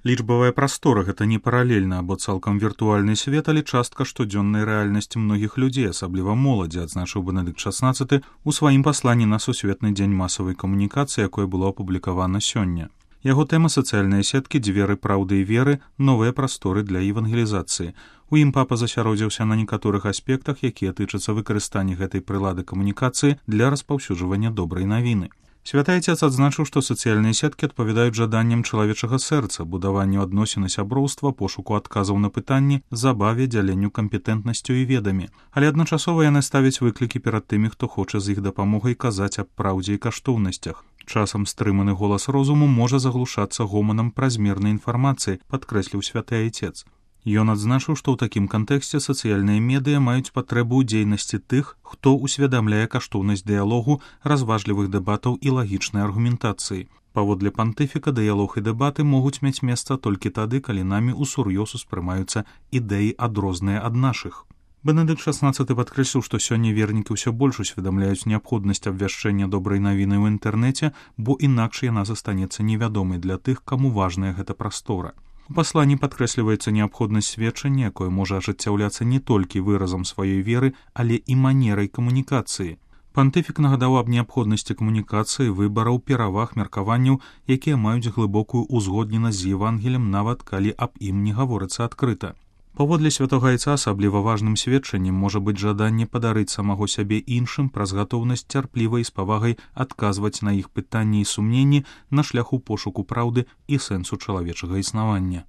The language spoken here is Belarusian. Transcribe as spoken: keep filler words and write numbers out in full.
Лічбавая прастора гэта не паралельна або цалкам віртуальны свет, але частка штодзённай рэальнасці многіх людзей, асабліва моладзі, адзначыў Бенедыкт шаснаццаты ў сваім пасланні на сусветны дзень масавай камунікацыі, якое было апублікавана сёння. Яго тэма сацыяльныя сеткі, дзверы праўды і веры, новыя прасторы для евангелізацыі. У ім папа засяродзіўся на некаторых аспектах, якія тычацца выкарыстання гэтай прылады камунікацыі для распаўсюджвання добрай навіны. Святы Отец адзначыў, што сацыяльныя сеткі адпавядаюць жаданням чалавечага сэрца, будаванню адносін і сяброўства, пошуку адказаў на пытанні, забаве, дзяленню кампетэнтнасцю і ведамі. Але адначасова яны ставяць выклікі перад тымі, хто хоча з іх дапамогай казаць аб праўдзе і каштоўнасцях. Часам стрыманы голас розуму можа заглушацца гоманам празмернай інфармацыі, падкрэсліў святы Отец. Ён адзначыў, што ў такім кантэксце сацыяльныя медыа маюць патрэбу ў дзейнасці тых, хто усвядамляе каштоўнасць дыялогу, разважлівых дэбатаў і лагічнай аргументацыі. Паводле пантыфіка, дыялог і дэбаты могуць мець месца толькі тады, калі намі ўсур'ёз успрымаюцца ідэі адрозныя ад нашых. Бенедыкт шаснаццаты падкрэсліў, што сёння вернікі ўсё больш усведамляюць неабходнасць абвяшчэння добрай навіны ў інтэрнэце, бо інакш яна застанецца невядомай для тых, каму важная гэта прастора. У пасланні падкрэсліваецца неабходнасць сведчання, якое можа ажыццяўляцца не толькі выразам сваёй веры, але і манерай камунікацыі. Пантыфік нагадаў аб неабходнасці камунікацыі, выбараў, пераваг, меркаванняў, якія маюць глыбокую ўзгодненасць з Евангелем, нават калі аб ім не гаворыцца адкрыта. Паводле святога Айца асабліва важным сведчаннем можа быць жаданне падарыць самога сябе іншым праз гатоўнасць цярпліва і з павагай адказваць на іх пытанні і сумненні на шляху пошуку праўды і сэнсу чалавечага існавання.